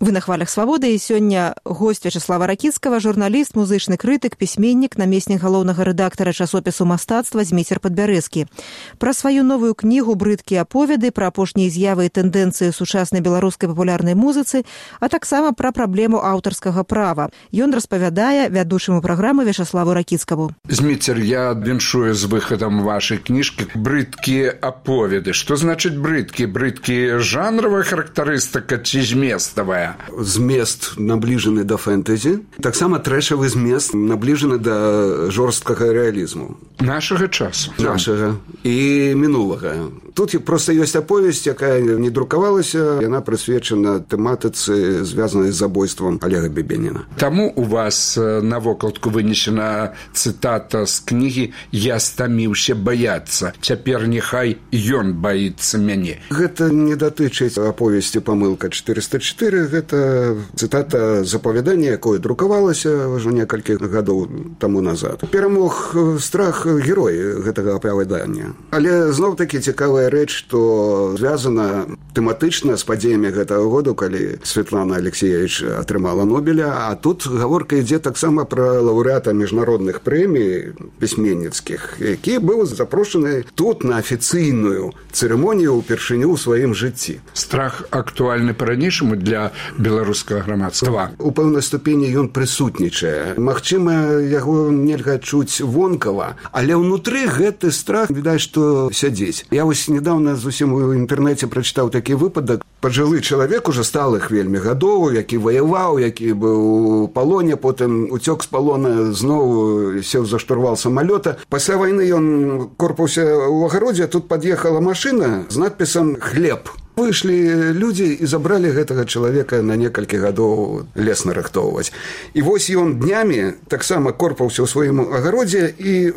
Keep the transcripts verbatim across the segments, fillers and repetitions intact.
Вы на хвалях свабоды, і сёння госць Вячаслава Ракіцкага, журналіст, музычны крытык, пісьменнік, намеснік галоўнага рэдактара часопісу мастацтва «Зміцер Падбярэзкі». Пра сваю новую кнігу «Брыдкія аповеды», пра апошнія з'явы і тэндэнцыі сучаснай беларускай папулярнай музыцы, а таксама пра праблему аўтарскага права. Ён распавядае вядучаму праграмы Вячаславу Ракіцкаму. Зміцер, я віншую з выхадам вашай кніжкі «Брыдкія аповеды». Што значыць брыдкі? Брыдкі жанравая характарыстыка ці зместавая? Змест наближаны да фэнтэзі, таксама трэшавы змест наближаны да жорсткага рэалізму. Нашага часу. Нашага і мінулага. Тут проста ёсць аповесць, якая не друкавалася, яна прысвечана тэматыцы, звязанай з забойствам Олега Бебеніна. Таму у вас на вокладку вынесена цытата з кнігі «Я стаміўся баяцца. Цяпер няхай ён баіцца мяне». Гэта не датычыць аповесці «Памылка чатырыста чатыры», гэта цытата з апавядання, якое друкавалася ўжо некалькі гадоў таму назад. Перамог страх герой гэтага апавядання. Але зноў-такі цікавая рэч, што звязана тэматычна з падзеямі гэтага году, калі Светлана Алексеевич атрымала Нобеля, а тут гаворка ідзе таксама пра лаўрэата міжнародных прэмій пісьменніцкіх, які быў запрошаны тут на афіцыйную цырымонію ўпершыню ў сваім жыцці. Страх актуальны па-ранейшаму для беларускага грамадства. У пэўнай ступені ён прысутнічае. Магчыма, яго нельга чуць вонкава, але ўнутры гэты страх, відаць, што сядзець. Я вось недавно зусім у інтэрнэце прачытаў такі выпадак. Пажылы чалавек уже сталых вельмі гадоў, які ваяваў, які быў у палоне, потым уцёк з палона, зноў сеў за штурвал самалёта. Пасля вайны ён корпаўся ў агародзе, тут пад'ехала машына з надпісам «Хлеб». Выйшлі людзі і забралі гэтага чалавека на некалькі гадоў лес нарыхтоўваць. І вось ён днямі таксама корпаўся ў сваім агародзе, і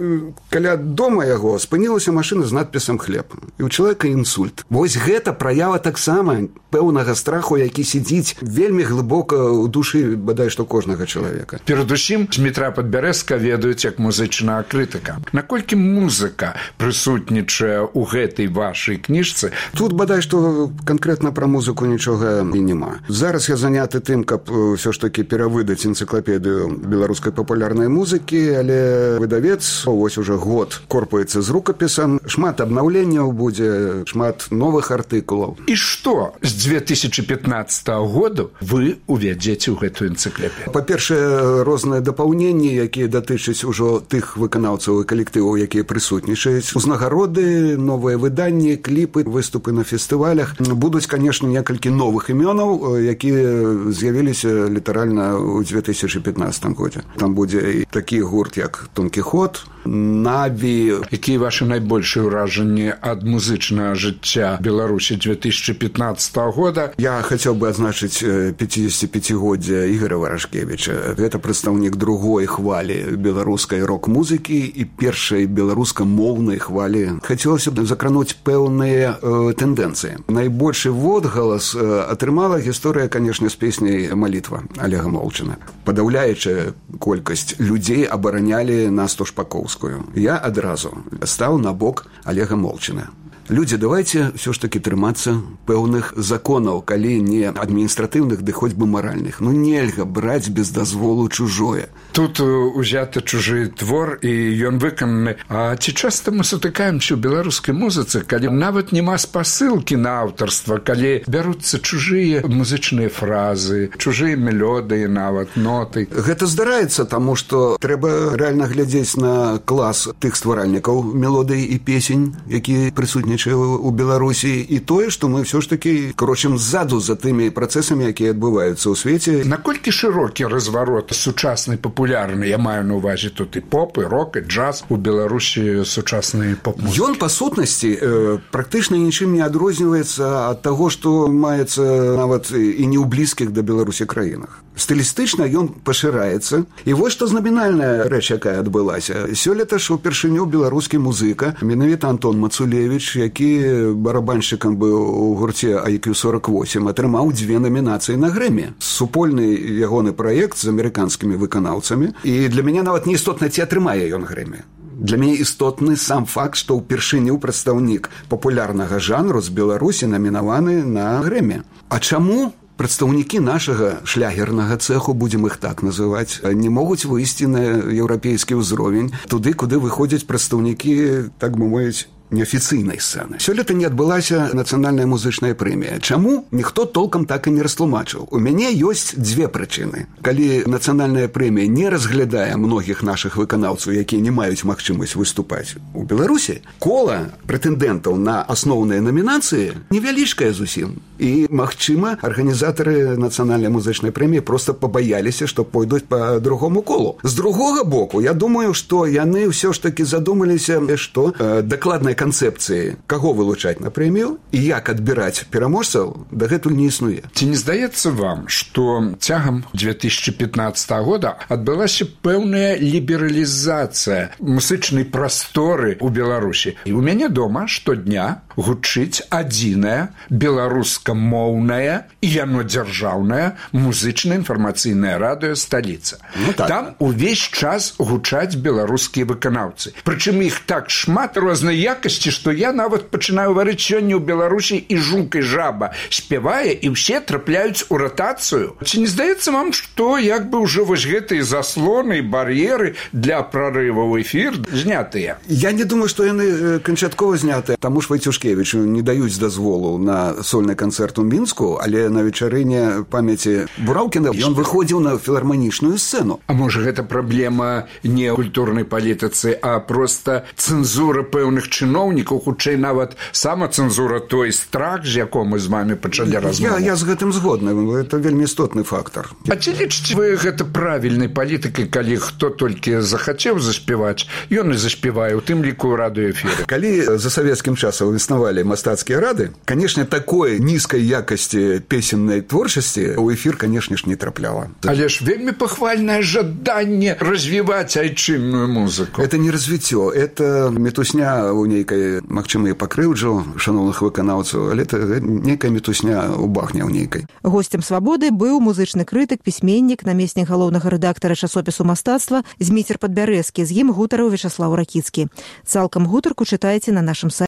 каля дома яго спынілася машына з надпісам «Хлеб». І ў чалавека інсульт. Вось гэта праява таксама пэўнага страху, які сидзіць вельмі глыбока ў душы, бадай што кожнага чалавека. Перадусім, Змітра Падбярэзка ведаюць як музычная крытыка. Наколькі музыка прысутнічае ў гэтай вашай кніжцы? Тут бадай што канкрэтна пра музыку нічога і няма. Зараз я заняты тым, каб ўсё ж такі перавыдаць энцыклапедыю беларускай папулярнай музыкі, але выдавец вось уже год корпаецца з рукапісам, шмат абнаўленняў будзе, шмат новых артыкулаў. І што з дзве тысячы пятнаццатага году вы увядзеце ў гэтую энцыклапедыю? Па-першае, розныя дапаўненні, якія датычаць ужо тых выканаўцаў і калектываў, якія прысутнічаюць, узнагароды, новыя выданні, кліпы, выступы на фестывалях. Будуць, конечно, некалькі новых імёнаў, якія з'явіліся літаральна ў дзве тысячы пятнаццатым годзе. Там будзе і такі гурт, як Дон Кіхот, Наві. Якія вашы найбольшыя ўражанні ад музычнага жыцця Беларусі дзве тысячы пятнаццатага года? Я хацеў бы адзначыць пяцідзесяціпяцігоддзя Ігора Варажкевіча. Гэта прадстаўнік другой хвалі беларускай рок-музыкі і першай беларускамоўнай хвалі. Хацелася б закрануць пэўныя э, тэндэнцыі. Найбольшы водгалас э, атрымала гісторыя, канешне, з песняй «Малітва» Олега Молчана. Падаўляючая колькасць людзей абаранялі Насту Шпаковскую. Я адразу стаў на бок Олега Молчана. Людзі, давайте ўсё ж такі трымацца пэўных законаў, калі не адміністратыўных, ды хоць бы маральных. Ну нельга браць без дазволу чужое. Тут узяты чужы твор, і ён выкананы. А ці часта мы сутыкаемся ў беларускай музыцы, калі нават няма спасылкі на аўтарства, калі бяруцца чужыя музычныя фразы, чужыя мелодыі, нават ноты? Гэта здараецца, таму што трэба рэальна глядзець на клас тых стваральнікаў мелодый і песень, якія прысутнічаюць у Беларусі, і тое, што мы ўсё ж такі крочым ззаду за тымі працэсамі, якія адбываюцца ў свеце. Наколькі шырокі разварот сучаснай папулярнай, я маю на ўвазе тут і поп, і рок, і джаз у Беларусі сучаснай поп-музыкі? Ён, па сутнасці, э, практычна нічым не адрозніваецца ад таго, што маецца нават і не ў блізкіх да Беларусі краінах. Стылістычна ён пашыраецца. І вось што знамінальная рэч, якая адбылася. Сёлета ж упершыню беларускі музыка, менавіта Антон Мацулевіч, які барабаншчыкам быў у гурце ай кью сорок восемь, атрымаў дзве намінацыі на Грэмі. Супольны ягоны праект з амерыканскімі выканаўцамі. І для мяне нават не істотна, ці атрымае ён Грэмі. Для мяне істотны сам факт, што ўпершыню прадстаўнік папулярнага жанру з Беларусі намінаваны на Грэмі. А чаму? прадстаўнікі нашага шлягернага цэху, будзем іх так называць, не могуць выйсці на еўрапейскі ўзровень, туды, куды выходзяць прадстаўнікі, так бы мовіць, неафіцыйнай сцэны. Сёлета не адбылася нацыянальная музычная прэмія. Чаму? Ніхто толкам так і не растлумачыў. У мяне ёсць дзве прычыны. Калі нацыянальная прэмія не разглядае многіх нашых выканаўцаў, якія не маюць магчымасць выступаць у Беларусі, кола прэтэндэнтаў на асноўныя намінацыі невялічкая зусім. І, магчыма, арганізатары нацыянальнай музычнай прэміі проста пабаяліся, што пойдуць па другому колу. З другога боку, я думаю, што яны ўсё ж такі задумаліся, што э, дакладнай канцэпцыі, каго вылучаць на прэмію і як адбіраць пераможцаў, дагэтуль не існуе. Ці не здаецца вам, што цягам две тысячи пятнадцатого года адбылася пэўная лібералізацыя музычнай прасторы ў Беларусі? І ў мяне дома штодня гучыць адзіная беларускамоўная і яно дзяржаўная музычная інфармацыйная радыё «Сталіца». Ну, так. Там увесь час гучаць беларускія выканаўцы. Прычым іх так шмат рознай якасці, што я нават пачынаю варыць сёння ў Беларусі і жук і жаба спявае, і ўсе трапляюць у ратацыю. Ці не здаецца вам, што як бы ўжо вось гэтыя заслоны, бар'еры для прарыву ў эфір знятыя? Я не думаю, што яны канчаткова знятыя. Таму ж Вайцюшкевічу не даюць дазволу на сольны канцэрт у Мінску, але на вечарыне памяці Бураўкіна ён выходзіў на філарманічную сцэну. А можа, гэта праблема не культурнай палітыцы, а проста цэнзура пэўных чыноўнікаў, хутчэй нават самацэнзура, той страх, з яком мы з вами пачалі размову. Я, я з гэтым згодны, это вельмі істотны фактор. А ці лічыце вы гэта правільнай палітыкай, калі хто толькі захацеў заспяваць, ён і заспявае, у тым ліку ў радыёэфіры? Калі за савецкім часам існавалі мастацкія рады, канешне, такой нізкай якасці песеннай творчасці ў эфір, канешне ж, не трапляла. Але ж вельмі пахвальнае жаданне развіваць айчынную музыку. Это не развіццё, это метусня у нейкай, магчыма, і пакрыўджу шаноўных выканаўцаў, але это нейкая метусня у багне ў нейкай. Госцем «Свабоды» быў музычны крытык, пісьменнік, намеснік галоўнага рэдактара часопісу «Мастацтва» Зміцер Падбярэзкі. З ім гутарыў Вячаслаў Ракіцкі. Цалкам гутарку чытайце на нашым сайце.